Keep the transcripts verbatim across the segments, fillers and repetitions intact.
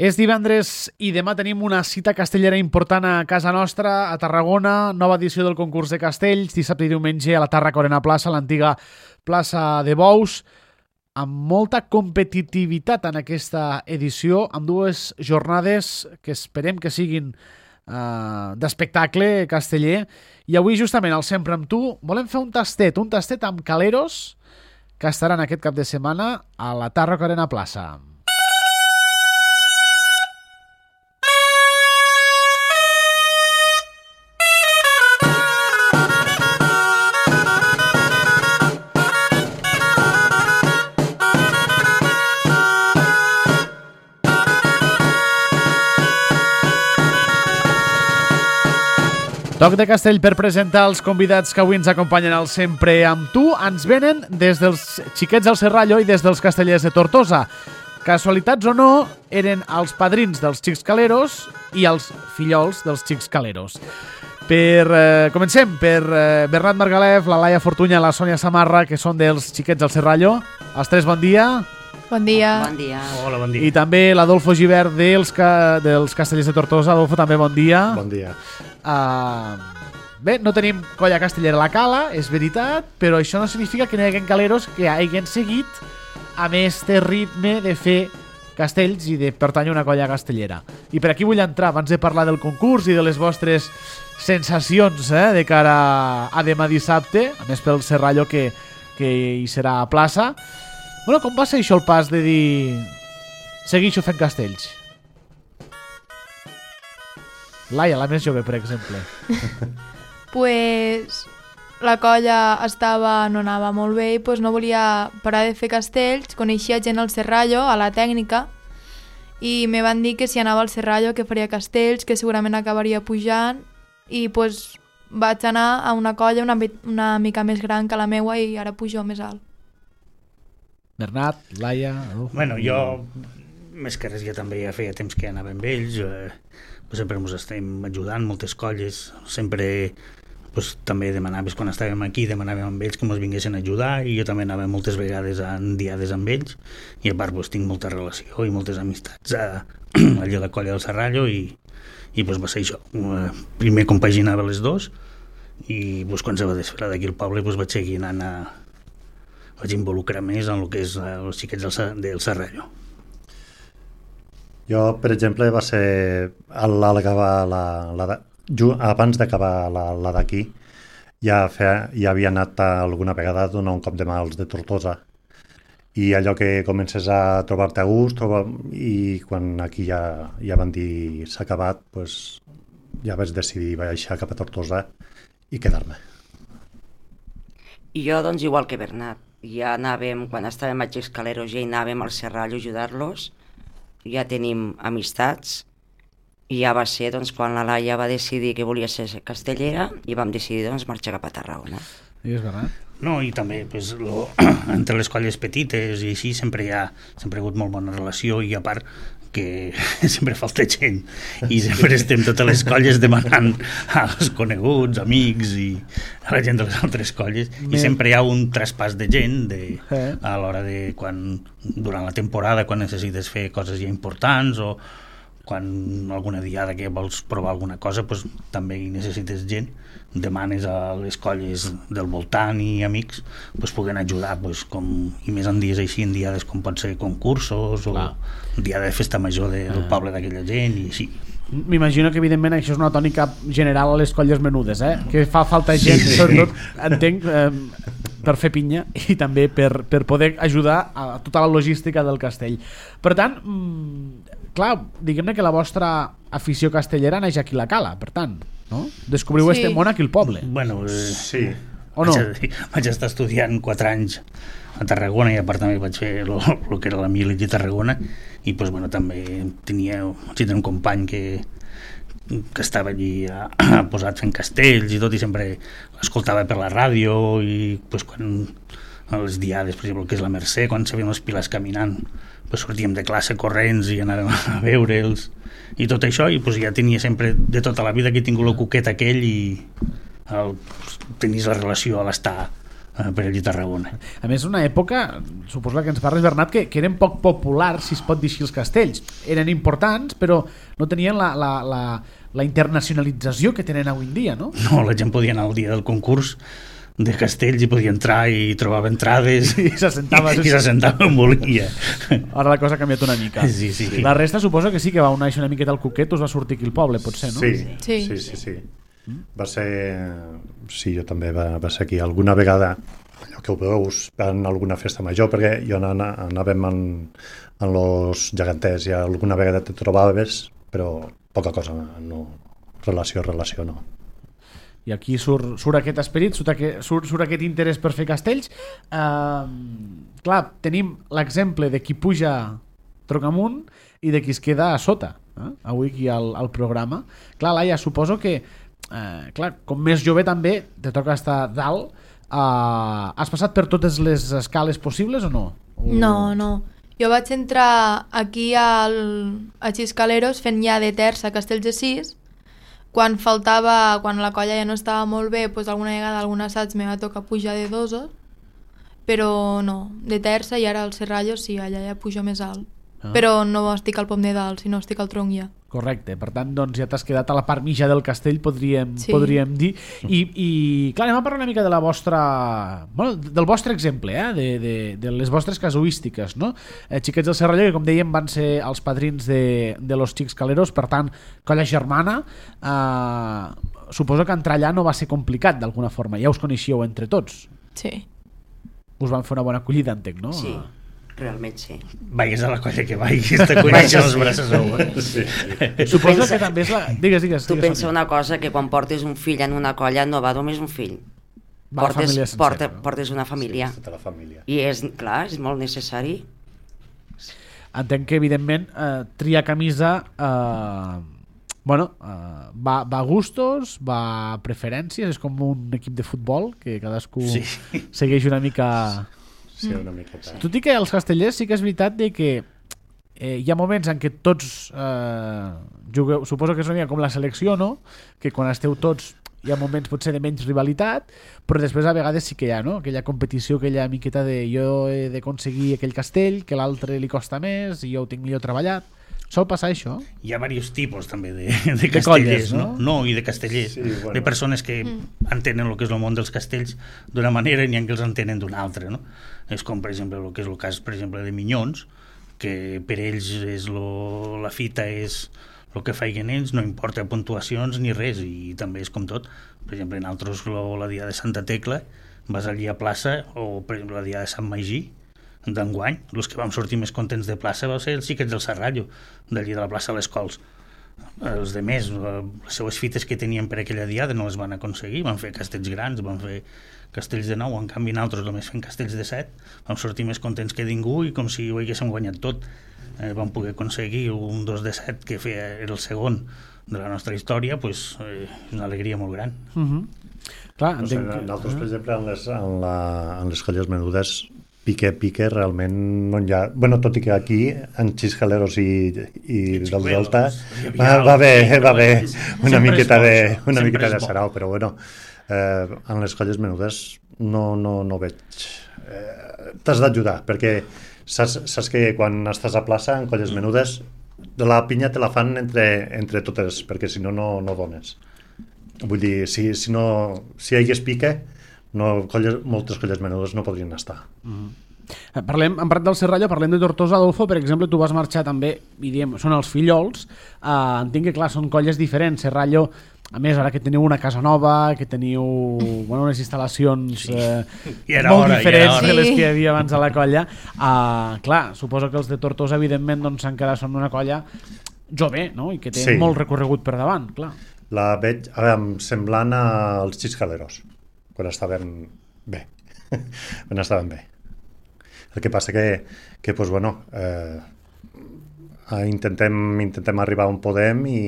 És divendres i demà tenim una cita castellera important a casa nostra, a Tarragona, nova edició del concurs de castells, dissabte i diumenge a la Tàrraco Arena Plaça, l'antiga plaça de Bous, amb molta competitivitat en aquesta edició, amb dues jornades que esperem que siguin uh, d'espectacle casteller. I avui, justament, al Sempre amb tu, volem fer un tastet, un tastet amb caleros que estaran aquest cap de setmana a la Tàrraco Arena Plaça. Toc de castell per presentar els convidats que avui ens acompanyen al Sempre amb tu. Ens venen des dels xiquets del Serrallo i des dels castellers de Tortosa. Casualitats o no, eren els padrins dels xics caleros i els fillols dels xics caleros. Per, eh, comencem per eh, Bernat Margalef, la Laia Fortunya i la Sònia Samarra, que són dels xiquets del Serrallo. Els tres, bon dia. Bon dia. Bon dia. Hola, bon dia. I també l'Adolfo Givert dels, ca... dels castellers de Tortosa. Adolfo, també bon dia. Bon dia. Uh, bé, no tenim colla castellera a la cala, és veritat, però això no significa que no hi haguen caleros que hagin seguit amb este ritme de fer castells i de pertànyer a una colla castellera. I per aquí vull entrar, abans de parlar del concurs i de les vostres sensacions eh, de cara a demà dissabte, a més pel Serrallo que, que hi serà a plaça. Bueno, com va ser això el pas de dir segueixo fent castells? Laia, la més jove, per exemple. Pues la colla estava, no anava molt bé i pues no volia parar de fer castells. Coneixia gent al Serrallo, a la tècnica, i me van dir que si anava al Serrallo que faria castells, que segurament acabaria pujant, i pues vaig anar a una colla una, una mica més gran que la meua i ara pujo més alt. Bernat, Laia... Uf. Bueno, jo, més que res, ja també ja feia temps que anava amb ells, eh, sempre ens estem ajudant, moltes colles, sempre pues, també demanaves, quan estàvem aquí, demanàvem amb ells que ens vinguessin a ajudar, i jo també anava moltes vegades en diades amb ells, i a part pues, tinc molta relació i moltes amistats a, allà a la colla del Serrallo, i, i pues, va ser això. Primer compaginava les dos, i pues, quan se va desfer d'aquí al poble pues, vaig seguir anant a... vaig involucrar més en el que és els xiquets del, del Serrallo. Jo, per exemple, va ser al acabar la, la de, abans d'acabar la, la d'aquí, ja, feia, ja havia anat alguna vegada a donar un cop de mà als de Tortosa. I allò que comences a trobar-te a gust, trobar, i quan aquí ja, ja van dir s'ha acabat, pues, ja vaig decidir baixar cap a Tortosa i quedar-me. I jo, doncs, igual que Bernat, ja anàvem, quan estàvem a Xics Caleros, ja anàvem al Serrallo a ajudar-los, ja tenim amistats, i ja va ser doncs, quan la Laia va decidir que volia ser castellera i vam decidir doncs, marxar cap a Tarragona. I és Bernat? No, i també pues, lo, entre les colles petites i així sempre hi ha, sempre ha hagut molt bona relació, i a part que sempre falta gent i sempre estem totes les colles demanant als coneguts, amics i a la gent de les altres colles, i sempre hi ha un traspàs de gent de, a l'hora de quan, durant la temporada, quan necessites fer coses ja importants o quan alguna diada que vols provar alguna cosa, pues, també hi necessites gent, demanes a les colles del voltant i amics pues, puguen ajudar, pues, com, i més en dies així, en diades com pot ser concursos o un dia de festa major de, del poble d'aquella gent i així. M'imagino que evidentment això és una tònica general a les colles menudes, eh? Que fa falta gent, sí, sobretot, entenc, eh, per fer pinya i també per, per poder ajudar a tota la logística del castell. Per tant, mmm, clar, diguem-ne que la vostra afició castellera neix aquí a la cala, per tant, no? Descobriu sí. este món aquí al poble. Bueno, eh, sí. O no? Vaig, vaig estar estudiant quatre anys a Tarragona i a part també vaig fer el que era la mili de Tarragona i pues, bueno, també tenia, tenia un company que, que estava allí a, a posat fent castells i tot, i sempre l'escoltava per la ràdio i pues, quan a les diades, per exemple, que és la Mercè, quan se veien els pilars caminant, pues, sortíem de classe corrents i anàvem a veure'ls i tot això, i pues, ja tenia sempre de tota la vida que he tingut el cuquet aquell i el, tenies la relació a l'estar per allà a Tarragona. A més, una època, suposo que ens parles, Bernat, que, que eren poc populars, si es pot dir així, els castells. Eren importants, però no tenien la, la, la, la internacionalització que tenen avui en dia, no? No, la gent podia anar al dia del concurs de castells i podia entrar i trobava entrades I s'assentava. i s'assentava on volia. Ara la cosa ha canviat una mica. Sí, sí, sí. La resta suposo que sí que va unir una miqueta al cuquet, us va sortir aquí al poble, potser, no? Sí, Sí. sí, sí, sí. Va ser... Sí, jo també va, va ser aquí. Alguna vegada, allò que ho veus, en alguna festa major, perquè jo anava, anàvem en, en los geganters i alguna vegada te trobaves, però poca cosa, no. Relació, relació, no. I aquí surt, surt aquest esperit, surt, aquest, surt, surt aquest interès per fer castells. Uh, clar, tenim l'exemple de qui puja trocamunt i de qui es queda a sota, eh? Avui aquí al, al programa. Clar, Laia, suposo que uh, clar, com més jove també te toca estar dalt. Uh, has passat per totes les escales possibles o no? O... No, no. Jo vaig entrar aquí al, a Xiscaleros fent ja de terça a Castells de Sis. Quan faltava, quan la colla ja no estava molt bé, doncs alguna vegada algun assaig me va tocar pujar de dosos, però no, de terça, i ara al Serrallo sí, allà ja pujo més alt. Ah. Però no estic al pom de dalt, sinó estic al tronc ja. Correcte, per tant, doncs ja t'has quedat a la part mitja del castell, podríem, Sí. podríem dir. I, I, clar, anem a parlar una mica de la vostra... Bueno, del vostre exemple, eh? de, de, de les vostres casuístiques, no? Eh, Xiquets del Serrallo, que com dèiem van ser els padrins de, de los Xics Caleros, per tant, colla germana. Eh, suposo que entrar allà no va ser complicat, d'alguna forma. Ja us coneixíeu entre tots. Sí. Us van fer una bona acollida, entenc, no? Sí, realment sí. Vagis a la colla que vagis, te coneixen els braços oberts. Sí, sí. Suposo pensa- que també és la... Digues, digues. Tu digues, pensa Sonia. una cosa, que quan portes un fill en una colla no va només un fill. Va la portes, família sencera, porta, no? portes una família. Sí, tota la família. I és, clar, és molt necessari. Entenc que, evidentment, eh, triar camisa eh, bueno, eh, va, va a gustos, va a preferències, és com un equip de futbol que cadascú Sí. segueix una mica... Sí, una miqueta. Tot i que els castellers sí que és veritat de que eh, hi ha moments en què tots eh, jugueu, suposo que és una mica com la selecció, no? Que quan esteu tots hi ha moments potser de menys rivalitat, però després a vegades sí que hi ha, no? Aquella competició, aquella miqueta de jo he d'aconseguir aquell castell, que l'altre li costa més i jo ho tinc millor treballat. Sol passar això? Hi ha diversos tipus també de, de, De castellers, colles, no? no? No, i de castellers, Sí, bueno. de persones que mm. entenen el que és el món dels castells d'una manera i n'hi ha que els entenen d'una altra, no? És com, per exemple, el que és el cas, per exemple, de Minyons, que per ells és lo, la fita és el que feien ells, no importa puntuacions ni res, i també és com tot. Per exemple, en altres, lo, la dia de Santa Tecla, vas allí a plaça, o per exemple la dia de Sant Magí, d'enguany, els que vam sortir més contents de plaça va ser els xiquets del Serrallo, d'allí de la plaça de les Cols. Els de més, les seues fites que tenien per aquella diada no les van aconseguir, van fer castells grans, van fer castells de nou, en canvi nosaltres només fent castells de set, vam sortir més contents que ningú i com si ho haguéssim guanyat tot. Eh, vam poder aconseguir un dos de set que feia, era el segon de la nostra història, pues, eh, és una alegria molt gran. Uh -huh. Clar, No sé, entenc que... nosaltres, per exemple, en les, en la, en les colles menudes, pique, pique, realment no hi ha... Bueno, tot i que aquí, en Xiscaleros i, i En del Delta, Xiscaleros, hi havia va, va bé, el- va bé, una Sempre miqueta és bo, de, això. una Sempre miqueta és de bo. sarau, però bueno, eh, en les colles menudes no, no, no veig... Eh, T'has d'ajudar, perquè saps, saps que quan estàs a plaça, en colles menudes, la pinya te la fan entre, entre totes, perquè si no, no, no dones. Vull dir, si, si, no, si hi hagués pique, no, colles, moltes colles menudes no podrien estar. Eh, Parlem, en Prat del Serrallo, parlem de Tortosa, Adolfo, per exemple, tu vas marxar també, i diem, són els fillols, eh, entenc que, clar, són colles diferents. Serrallo, a més, ara que teniu una casa nova, que teniu bueno, unes instal·lacions eh, I era molt hora, i diferents era hora. de les Sí. que hi havia abans a la colla, eh, clar, suposo que els de Tortosa, evidentment, doncs, s'han quedat són una colla jove, no?, i que té Sí. molt recorregut per davant, clar. La veig a veure, semblant als Xiscaleros, quan estaven bé. quan estaven bé. El que passa que, que pues, bueno, eh, intentem, intentem arribar on podem i,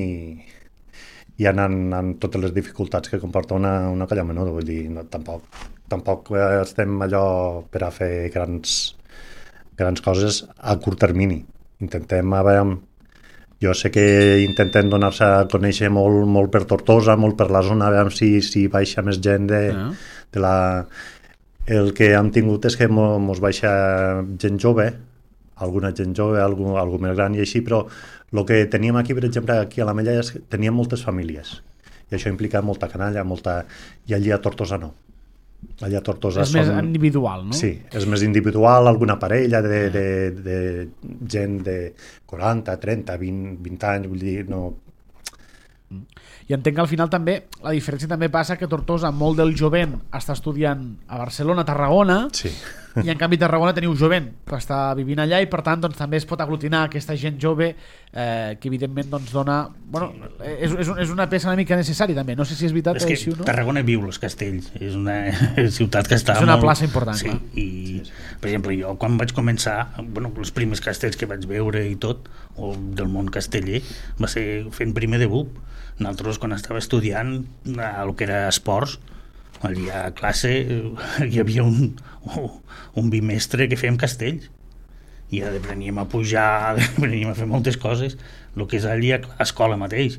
i anant amb totes les dificultats que comporta una, una colla menuda. Vull dir, no, tampoc, tampoc estem allò per a fer grans, grans coses a curt termini. Intentem, a veure, jo sé que intentem donar-se a conèixer molt, molt per Tortosa, molt per la zona, a veure si, si baixa més gent de, Ah. de la... El que hem tingut és que mo- mos baixa gent jove, alguna gent jove, algú, algú més gran i així, però el que teníem aquí, per exemple, aquí a l'Ametlla, és que teníem moltes famílies. I això implica molta canalla, molta... I allí a Tortosa no. Allà a Tortosa És són... més individual, no? Sí, és més individual, alguna parella de, de, de gent de quaranta, trenta, vint, vint anys, vull dir, no... I entenc que al final també la diferència també passa que Tortosa, molt del jovent està estudiant a Barcelona, a Tarragona, Sí. i en canvi a Tarragona teniu jovent que està vivint allà i per tant doncs, també es pot aglutinar aquesta gent jove eh, que evidentment doncs, dona... Bueno, és, és, és una peça una mica necessària també, no sé si és veritat És o que així o no. Tarragona viu els castells, és una ciutat que està És una molt... plaça important, sí, clar. i, sí, sí. Per exemple, jo quan vaig començar, bueno, els primers castells que vaig veure i tot, o del món casteller, va ser fent primer de B U P. Nosaltres, quan estava estudiant el que era esports, allà a classe hi havia un, un bimestre que fèiem castells i apreníem a pujar, apreníem a fer moltes coses, el que és allà a l'escola mateix.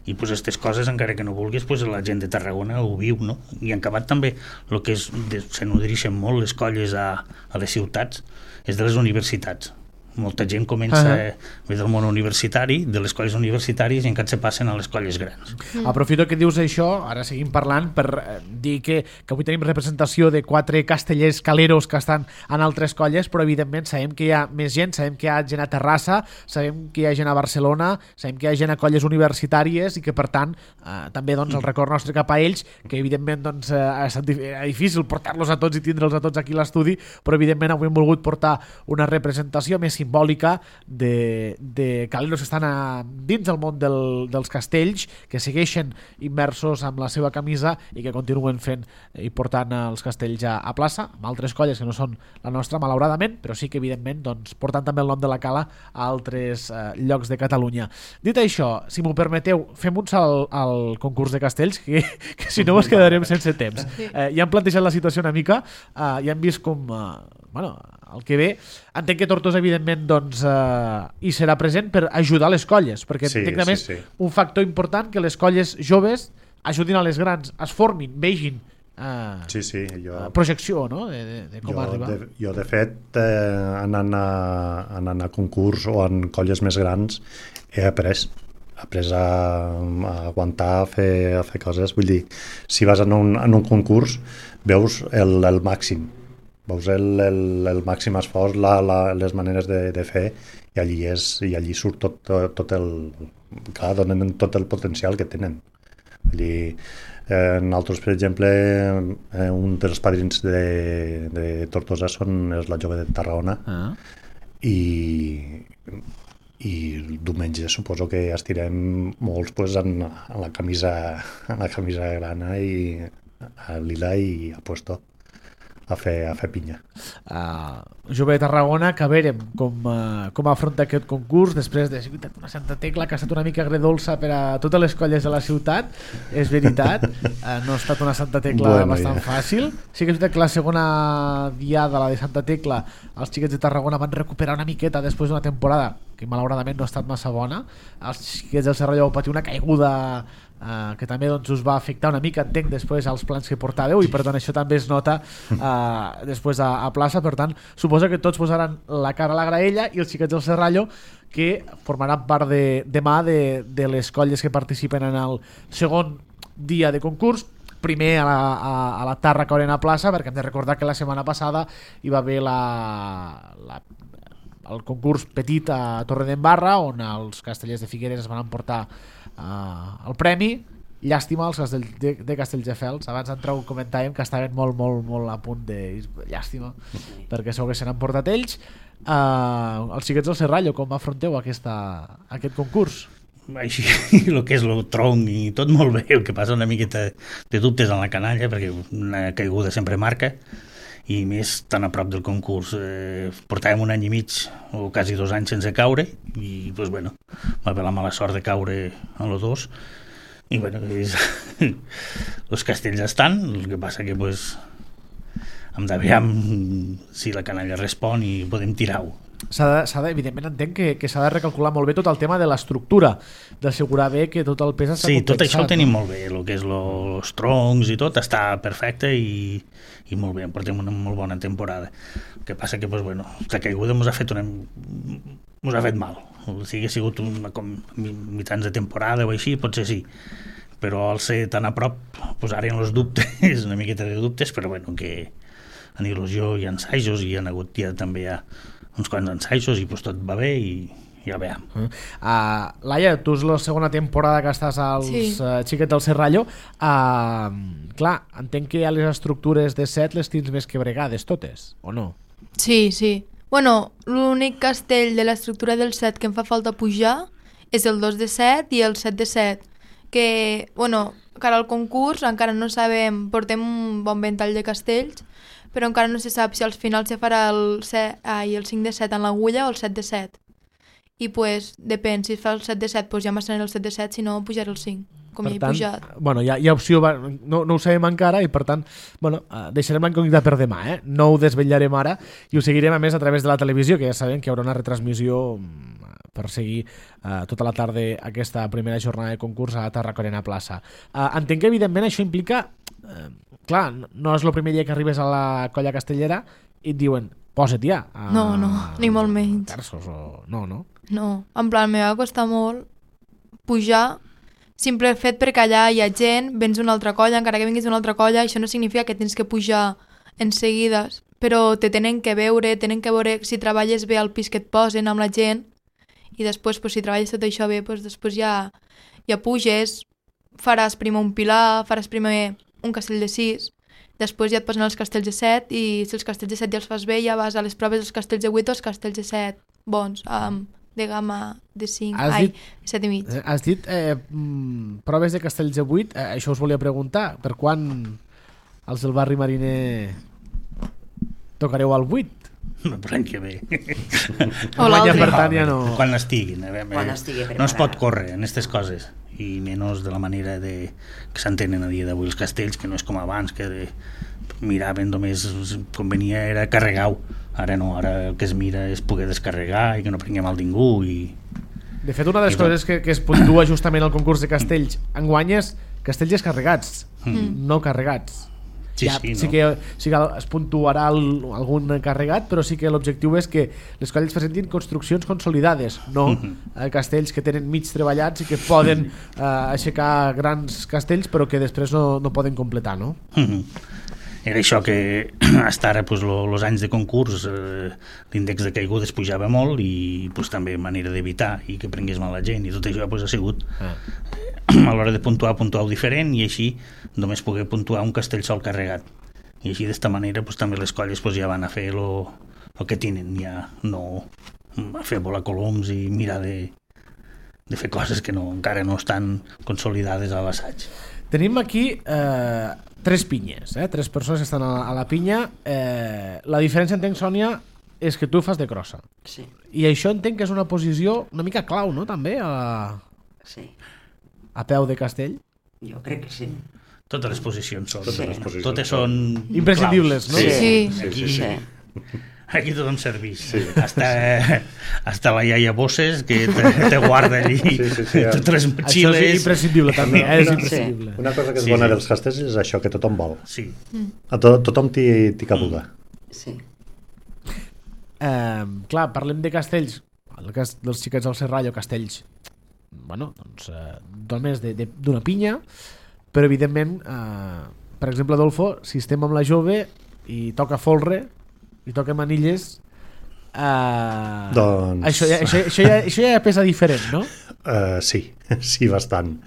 I pues, aquestes coses, encara que no vulguis, pues, la gent de Tarragona ho viu, no? I en acabat també el que és, de, se nodreixen molt les colles a, a les ciutats és de les universitats. Molta gent comença uh -huh. a ve del món universitari, de les colles universitàries, i encara se passen a les colles grans. Mm. Aprofito que dius això, ara seguim parlant, per eh, dir que, que avui tenim representació de quatre castellers caleros que estan en altres colles, però evidentment sabem que hi ha més gent, sabem que hi ha gent a Terrassa, sabem que hi ha gent a Barcelona, sabem que hi ha gent a colles universitàries i que per tant eh, també doncs, el record nostre cap a ells, que evidentment doncs, eh, ha estat difícil portar-los a tots i tindre'ls a tots aquí a l'estudi, però evidentment avui hem volgut portar una representació més simbòlica de, de caleros que estan a, dins del món del, dels castells, que segueixen immersos amb la seva camisa i que continuen fent i portant els castells a, a plaça, amb altres colles que no són la nostra, malauradament, però sí que evidentment doncs, portant també el nom de la cala a altres eh, llocs de Catalunya. Dit això, si m'ho permeteu, fem un salt al, al concurs de castells, que, que si no ens quedarem sense temps. Eh, ja hem plantejat la situació una mica, eh, ja hem vist com... Eh, bueno, el que ve, entenc que Tortosa evidentment doncs, eh, hi serà present per ajudar les colles, perquè Sí, entenc també sí, sí. un factor important que les colles joves ajudin a les grans, es formin, vegin eh, Sí, sí, jo... projecció, no?, de, de, de com jo, arribar. de, jo, de fet, eh, anant, a, anant a concurs o en colles més grans, he après he après a, a aguantar, a fer, a fer coses. Vull dir, si vas en un, en un concurs, veus el, el màxim, veus el, el, el màxim esforç, la, la, les maneres de, de fer, i allí, és, i allí surt tot, tot, tot el... Clar, donen tot el potencial que tenen. Vull dir, eh, nosaltres, per exemple, eh, un dels padrins de, de Tortosa són, és la jove de Tarragona, Ah. i, i diumenge suposo que estirem molts pues, en, en, la camisa, en la camisa grana i a lila i a puesto a fer, a fer pinya. Uh, jove de Tarragona, que a veure com, uh, com afronta aquest concurs després de una Santa Tecla que ha estat una mica agredolça per a totes les colles de la ciutat, és veritat, uh, no ha estat una Santa Tecla bueno, bastant ja. fàcil. Sí que és veritat que la segona diada, la de Santa Tecla, els xiquets de Tarragona van recuperar una miqueta després d'una temporada que malauradament no ha estat massa bona. Els xiquets del Serralló vau patir una caiguda Uh, que també doncs, us va afectar una mica, entenc, després als plans que portàveu, i per tant això també es nota uh, després a, a plaça. Per tant, suposo que tots posaran la cara a la graella, i els xiquets del Serrallo, que formaran part de, demà de, de les colles que participen en el segon dia de concurs, primer a la, a, a la Tàrraca Arena Plaça, perquè hem de recordar que la setmana passada hi va haver la, la el concurs petit a Torredembarra, on els castellers de Figueres es van emportar uh, el premi. Llàstima els castells de, de Castelldefels, abans d'entrar ho comentàvem que estaven molt, molt, molt a punt de... Llàstima, perquè segur que se n'han portat ells. Uh, els xiquets del Serrallo, com afronteu aquesta, aquest concurs? Així, el que és el tronc i tot molt bé, el que passa una miqueta de dubtes en la canalla, perquè una caiguda sempre marca, i més tan a prop del concurs. Eh, portàvem un any i mig o quasi dos anys sense caure, i pues, bueno, va haver la mala sort de caure a los dos, i bueno, és... els castells estan, el que passa que pues, hem de veure si la canalla respon i podem tirar-ho. s'ha de, s'ha de, evidentment entenc que, que s'ha de recalcular molt bé tot el tema de l'estructura, d'assegurar bé que tot el pes està Sí, compensat. tot això ho tenim molt bé, el que és els troncs i tot està perfecte i, i molt bé, portem una molt bona temporada. El que passa que, pues, bueno, la caiguda ens ha fet una, ens ha fet mal. Si hagués sigut una, com mitjans de temporada o així, potser sí, però al ser tan a prop posarien els dubtes, una miqueta de dubtes, però bueno, que en il·lusió hi ha ensajos i hi ha hagut ja també hi ha uns quants ensajos i pues, tot va bé i ja veiem. Uh, Laia, tu és la segona temporada que estàs als Sí. uh, Xiquets del Serrallo. Uh, clar, entenc que a les estructures de set les tens més que bregades totes, o no? Sí, sí. Bueno, l'únic castell de l'estructura del set que em fa falta pujar és el dos de set i el set de set, que, bueno, cara al concurs encara no sabem, portem un bon ventall de castells, però encara no se sap si al final se farà el, set, ai, el cinc de set en l'agulla o el set de set. I pues, depèn, si fa el set de set, pues ja m'estrenaré el set de set, si no, pujaré el cinc, com Per ja he tant, pujat. bueno, hi ha, hi ha opció, no, no ho sabem encara i per tant, bueno, uh, deixarem la incògnita per demà, eh? No ho desvetllarem ara i ho seguirem a més a través de la televisió, que ja sabem que hi haurà una retransmissió per seguir uh, tota la tarda aquesta primera jornada de concurs a Tarraconena Plaça. Uh, entenc que evidentment això implica, uh, clar, no és el primer dia que arribes a la colla castellera i et diuen, posa't ja. Uh, No, no, ni molt menys. Terços o... No, no. No, en plan, me va costar molt pujar, simple fet perquè allà hi ha gent, vens d'una altra colla, encara que vinguis d'una altra colla, això no significa que tens que pujar en seguida, però te tenen que veure, tenen que veure si treballes bé al pis que et posen amb la gent, i després, pues, si treballes tot això bé, pues, després ja, ja puges, faràs primer un pilar, faràs primer un castell de sis, després ja et posen els castells de set, i si els castells de set ja els fas bé, ja vas a les proves dels castells de vuit o els castells de set bons, amb de gamma de cinc, Has ai, dit- set i mig. Has dit eh, mm, proves de castells de vuit, eh, això us volia preguntar, per quan els del barri mariner tocareu al vuit? Per l'any que ve. O Guanya, l'altre. per tant, ja no... Quan estiguin. A veure, Quan eh, estigui no es pot preparat. córrer en aquestes coses, i menys de la manera de, que s'entenen a dia d'avui els castells, que no és com abans, que de, miraven només com venia era carregar-ho. Ara no, ara el que es mira és poder descarregar i que no prenguem mal ningú. I... De fet, una de les I tot. coses que, que es puntua justament al concurs de castells enguany és castells descarregats, Mm. no carregats. Sí, ja, sí, no. sí que, sí que es puntuarà el, algun carregat, però sí que l'objectiu és que les colles presentin construccions consolidades, no Mhm. eh, castells que tenen mig treballats i que poden eh, aixecar grans castells però que després no, no poden completar, no? Mhm. Era això que hasta ara pues, lo, los anys de concurs eh, l'índex de caigudes pujava molt i pues, també manera d'evitar i que prengués mal la gent i tot això pues, ha sigut Ah. a l'hora de puntuar, puntuar diferent i així només poder puntuar un castell sol carregat i així d'esta manera pues, també les colles pues, ja van a fer lo, lo que tenen, ja no a fer volar coloms i mirar de, de fer coses que no, encara no estan consolidades a l'assaig. Tenim aquí eh, tres pinyes, eh? tres persones que estan a la, a la pinya. Eh, la diferència, entenc, Sònia, és que tu fas de crossa. Sí, I això entenc que és una posició una mica clau, no?, també, a, sí, a peu de castell. jo crec que sí. Totes les posicions són, Totes les posicions totes són. són Imprescindibles, claus. no? Sí. sí, Aquí, sí, Sí. aquí tothom serveix. Sí. Hasta, hasta la iaia Bosses, que te, te guarda allí Sí, sí, sí. totes les Això motxilles. és imprescindible, també, eh? és Una- imprescindible. Una cosa que és Sí, bona sí. dels castells és això, que tothom vol. Sí. A to tothom t'hi t'hi caduga. Sí. Eh, clar, parlem de castells, el cas dels Xiquets del Serrallo, castells, bueno, doncs, eh, només de- de- d'una pinya, però evidentment, eh, per exemple, Adolfo, si estem amb la jove i toca folre, i toca manilles, eh, Doncs- això, ja, això, això, ja, això ja pesa diferent, no? Uh, sí, sí, bastant.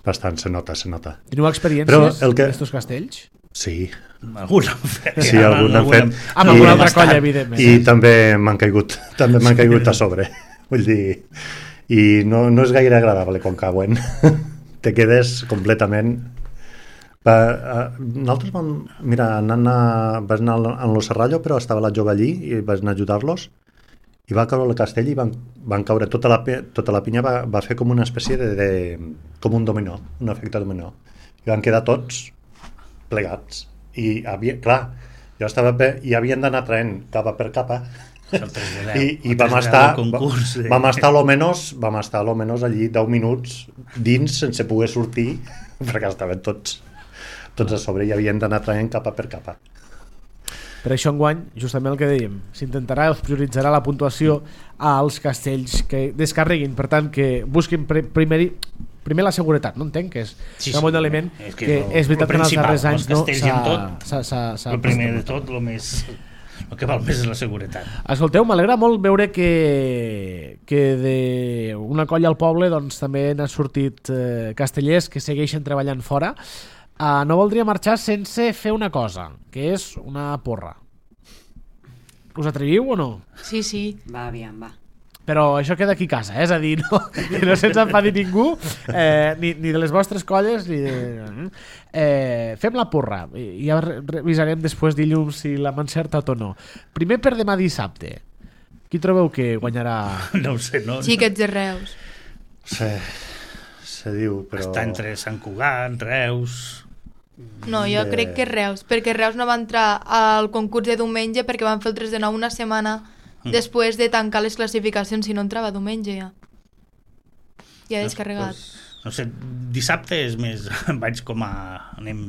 Bastant, se nota, se nota. Teniu Però experiències el que- d'estos castells? Sí, Alguna han fet. sí, algun han fet. Amb I- alguna altra bastant. colla, evidentment. I també m'han caigut, també m'han caigut a sobre. Vull dir, i no, no és gaire agradable quan cauen. Te quedes completament... Va, uh, nosaltres vam... Mira, anant a, vas anar a lo Serrallo, però estava la jove allí i vas anar a ajudar-los i va caure el castell i van, van caure tota la, pe- tota la pinya va, va fer com una espècie de, de com un dominó, un efecte dominó, i van quedar tots plegats i havia, clar, jo estava bé, i havien d'anar traient capa per capa el tres de deu. I, i El vam tres de estar, deu concurs, eh? vam estar a lo menos, vam estar a lo menos allí deu minuts dins sense poder sortir perquè estaven tots, tots a sobre i havien d'anar traient capa per capa. Per això enguany, justament el que dèiem, s'intentarà, es prioritzarà la puntuació als castells que descarreguin, per tant que busquin pre primer, primer la seguretat, no entenc, que és Sí, un sí, bon element és que, que que lo- és veritat lo que en els principal, darrers anys els no, castells i amb tot, s'ha- s'ha- s'ha- El primer de tot, el més... El que val més és la seguretat. Escolteu, m'alegra molt veure que, que d'una colla al poble doncs, també n'ha sortit eh, castellers que segueixen treballant fora. Uh, no voldria marxar sense fer una cosa, que és una porra. Us atreviu o no? Sí, sí. Va, aviam, va. Però això queda aquí a casa, eh? És a dir, no, que no se'ns enfadi ningú, eh, ni, ni de les vostres colles, ni de... Eh, fem la porra, i ja re revisarem després dilluns si l'hem encertat o no. Primer per demà dissabte. Qui trobeu que guanyarà? No ho sé, no? Xiquets de Reus. Se, se diu, però... Està entre Sant Cugat, Reus... No, jo De- crec que Reus, perquè Reus no va entrar al concurs de diumenge perquè van fer el tres de nou una setmana després de tancar les classificacions, si no entrava diumenge ja. Ja descarregat. No sé, dissabte és més... Vaig com a... Anem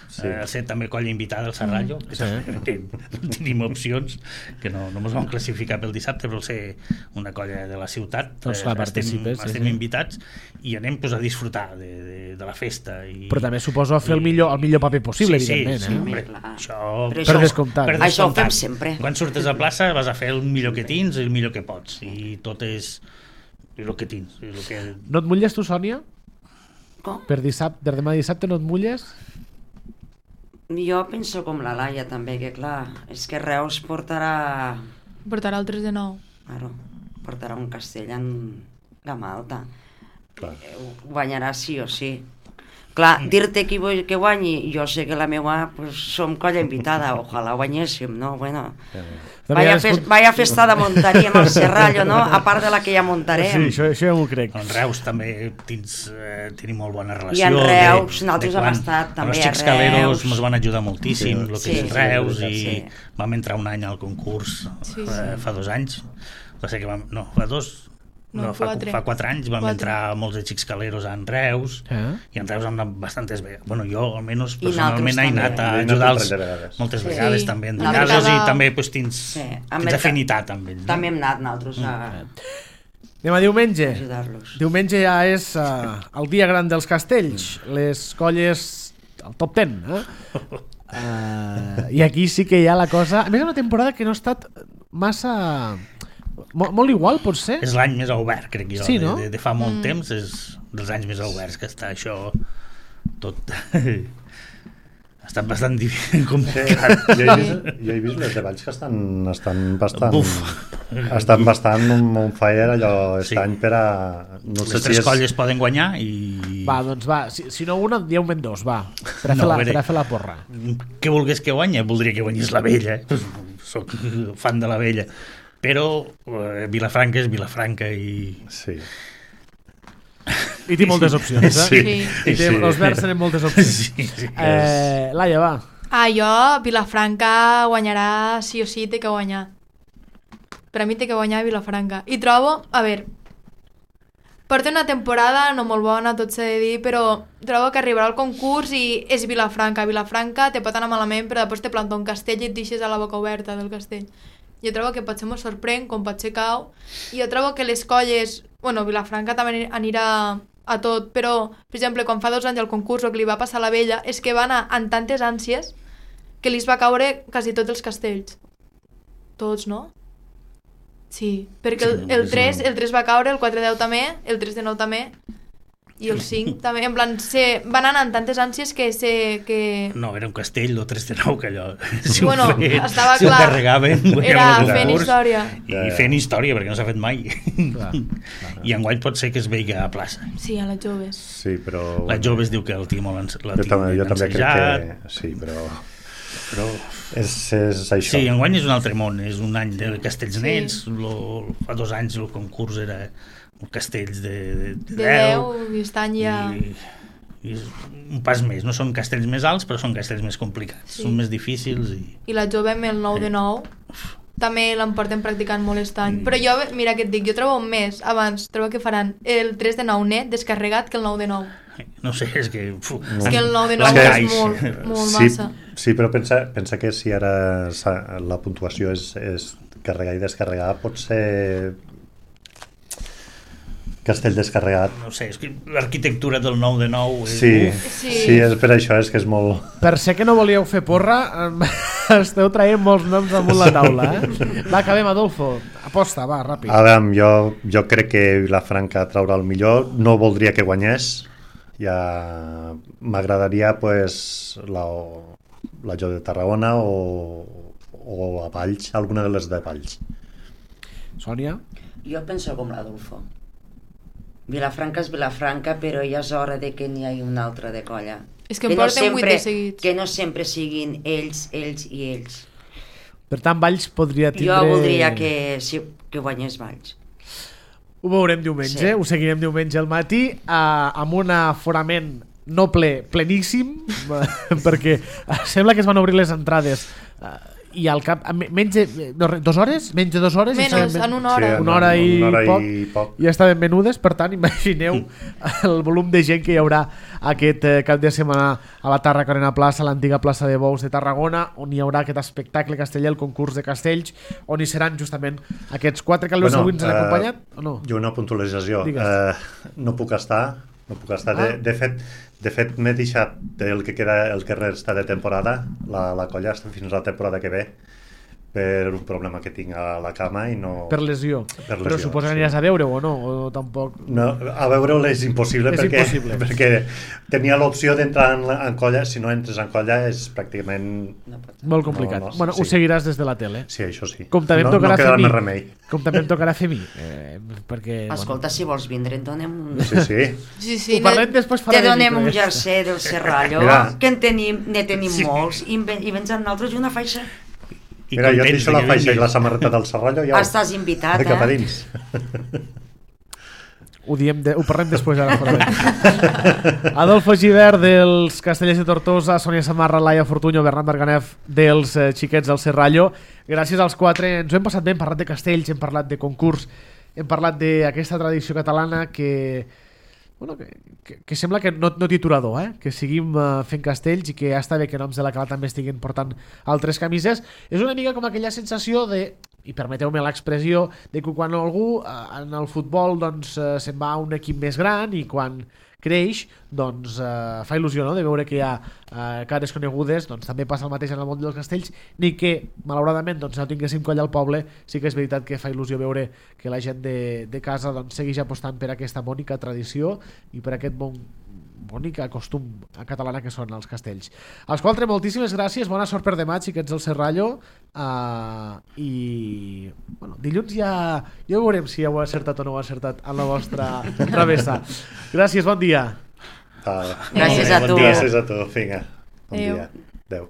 Sí. sí. a ser també colla invitada al Serrallo, que també no tenim opcions, que no, no ens vam classificar pel dissabte, però ser una colla de la ciutat, Doncs clar, estem, participes, sí, estem sí. invitats i anem pues, a disfrutar de, de, de la festa. I, Però també suposo fer el millor, el millor paper possible, sí, evidentment. sí, eh? hombre, Clar. això, Però Per això- descomptat. per Això ho fem descomptat. sempre. Quan surtes a plaça vas a fer el millor que tens i el millor que pots, i tot és el que tens. El que... No et mulles tu, Sònia? Com? Per, dissabte, per demà dissabte no et mulles? Jo penso com la Laia també, que clar, és que Reus portarà, Portarà el tres de nou. claro, portarà un castell en gamma alta. Clar. Eh, Guanyarà sí o sí. Clar, dir-te qui vull que guanyi, jo sé que la meva, pues, som colla invitada, ojalà guanyéssim, no? Bueno, vaya, fes, vaya festa de muntaríem al Serrallo, no? A part de la que ja Sí, muntarem. això, això ja m'ho crec. En Reus també tens, eh, tenim molt bona relació. I en Reus, de, nosaltres de hem quan, estat també els a xics caleros Reus. ens van ajudar moltíssim, Sí. el que Sí, és sí, Reus, és i veritat, sí. vam entrar un any al concurs Sí, eh, fa dos anys. Va ser que vam, no, fa dos, No, no, fa, quatre. fa quatre anys vam Quatre. entrar molts de xics caleros en Reus, Eh? i en Reus hem anat bastantes vegades. Bueno, jo almenys I personalment he nosaltres anat també. a Jo he anat ajudar un parell de vegades. moltes Sí. vegades Sí. també en La casos, mercada- i també pues, tens, Sí, en tens merca- afinitat amb ells. També hem anat nosaltres a Anem a diumenge. ajudar-los. Diumenge ja és uh, el dia gran dels castells, les colles, el top ten, eh? Uh, I aquí sí que hi ha la cosa... A més, és una temporada que no ha estat massa... Molt, molt igual, pot ser? És l'any més obert, crec jo, Sí, no? de, de, de fa molt Mm. temps, és dels anys més oberts que està això tot... ha estat bastant difícil, Sí, complicat. jo, he vist, jo he vist les de Valls que estan, estan bastant... Buf. Estan bastant on, on fire allò Sí. aquest any per a... No sé Les si tres és... colles poden guanyar i... Va, doncs va, si, si no una, dieu-me'n dos, va, per a, No, fer, la, a veure. per a fer la porra. Què volgués que guanya? Voldria que guanyés la Vella, eh? Soc fan de la Vella. Però eh, Vilafranca és Vilafranca i... Sí. I té moltes opcions, eh? Sí. Sí. I té, Sí. els verds tenen moltes opcions. Sí, sí. Eh, Laia, va. Ah, jo, Vilafranca guanyarà sí o sí, té que guanyar. Per a mi té que guanyar Vilafranca. I trobo, a veure, porta una temporada no molt bona, tot s'ha de dir, però trobo que arribarà al concurs i és Vilafranca. Vilafranca te pot anar malament, però després te planta un castell i et deixes a la boca oberta del castell. Jo trobo que potser m'ho sorprèn, com potser cau, i jo trobo que les colles... Bueno, Vilafranca també anirà a tot, però, per exemple, quan fa dos anys el concurs el que li va passar a la Vella és que va anar amb tantes ànsies que li va caure quasi tots els castells. Tots, no? Sí, perquè el, el, tres, el tres va caure, el quatre deu també, el tres de nou també, i el cinc també, en plan, se, van anar amb tantes ànsies que se... Que... No, era un castell, el tres de nou, que allò... Si Bueno, ho feien, estava si ho clar. carregaven, Era guanyaven el fent concurs. història. I fent història, perquè no s'ha fet mai. Clar, I enguany pot ser que es vegi a plaça. Sí, a les joves. Sí, però... La jove es diu que el tinc molt ens- la Jo, tinc també, jo ben també crec ensajat, que... Sí, però... però... És, és això. Sí, enguany és un altre món, és un any de castells Sí. nets, lo, fa dos anys el concurs era castells de, de, de, De deu, i aquest any ja... i, i és un pas més, no són castells més alts però són castells més complicats, Sí. són més difícils i I la jove amb el nou de nou, també l'en portem practicant molt aquest any. Però jo, mira què et dic, jo trobo un mes abans, trobo que faran el tres de nou net descarregat que el nou de nou. No sé, és que... Uf, no. És que el nou de nou Blancaix. és molt, molt sí, massa. Sí, però pensa, pensa que si ara la puntuació és, és carregar i descarregar, pot ser castell descarregat. No sé, és que l'arquitectura del nou de nou... És... Sí, sí. sí, és per això, és que és molt... Per ser que no volíeu fer porra, esteu traient molts noms damunt la taula, eh? Va, acabem, Adolfo. Aposta, va, ràpid. A veure, jo, jo crec que Vilafranca traurà el millor. No voldria que guanyés. Ja m'agradaria, pues, la, la Jo de Tarragona o, o a Valls, alguna de les de Valls. Sònia? Jo penso com l'Adolfo. Vilafranca és Vilafranca, però ja és hora de que n'hi hagi una altra de colla. És que en porten vuit de seguits. Que no sempre siguin ells, ells i ells. Per tant, Valls podria tindre... Jo voldria que, sí, que guanyés Valls. Ho veurem diumenge, sí. Ho seguirem diumenge al matí, eh, amb un aforament no ple, pleníssim, perquè sembla que es van obrir les entrades eh, i al cap, menys de no, dos hores? Menys de dues hores? Menys, en una hora. Sí, una hora, i, una hora poc, i poc. Ja estaven venudes, per tant, imagineu el volum de gent que hi haurà aquest eh, cap de setmana a la Tàrraco Arena Plaça, l'antiga plaça de Bous de Tarragona, on hi haurà aquest espectacle casteller, el concurs de castells, on hi seran justament aquests quatre que bueno, avui ens han eh, acompanyat, o no? I una puntualització. Eh, no puc estar, no puc estar. Ah. De, de fet, de fet m'he deixat el que queda, el que resta de temporada, la, la colla està fins a la temporada que ve, per un problema que tinc a la cama i no... Per lesió. Per lesió però suposo que aniràs sí. a veure-ho o no? O tampoc... No, a veure-ho és impossible, és perquè, impossible perquè tenia l'opció d'entrar en, en colla, si no entres en colla és pràcticament... No pot... Molt complicat. No, no, bueno, sí. ho seguiràs des de la tele. Sí, això sí. Com també em no, tocarà no fer mi. Remei. Com també em tocarà fer mi. Eh, perquè, Escolta, bueno. Si vols vindre, et donem un... Sí, sí. sí, sí ho parlem després farà te donem un jersei del Serrallo, Mira. que en tenim, ne tenim sí. molts, i, i vens amb nosaltres i una faixa. I Mira, jo et deixo la faixa i la samarreta del Serrallo ja estàs invitat, de cap a eh? dins. Ho, diem de, ho parlem després ara. Adolfo Givert dels Castellers de Tortosa, Sònia Samarra, Laia Fortunyo, Bernat Marganef dels eh, xiquets del Serrallo. Gràcies als quatre, ens ho hem passat bé, hem parlat de castells, hem parlat de concurs, hem parlat d'aquesta tradició catalana que... Bueno, que, que, que sembla que no, no titulador, eh? Que seguim uh, fent castells i que ja està bé que noms de la cala també estiguin portant altres camises. És una mica com aquella sensació de, i permeteu-me l'expressió, de que quan algú uh, en el futbol doncs, uh, se'n va a un equip més gran i quan creix, doncs uh, fa il·lusió, no?, de veure que hi ha uh, cares conegudes. Doncs també passa el mateix en el món dels castells, ni que malauradament doncs, no tinguéssim colla al poble. Sí que és veritat que fa il·lusió veure que la gent de, de casa doncs, segueix apostant per aquesta bonica tradició i per aquest bon bonica costum catalana que són els castells. Als quatre, moltíssimes gràcies, bona sort per demà, xiquets del Serrallo, uh, i bueno, dilluns ja, ja veurem si heu acertat o no heu acertat en la vostra travessa. Gràcies, bon dia. Ah, gràcies a tu. Gràcies a tu, vinga, bon Adeu. dia. Adeu.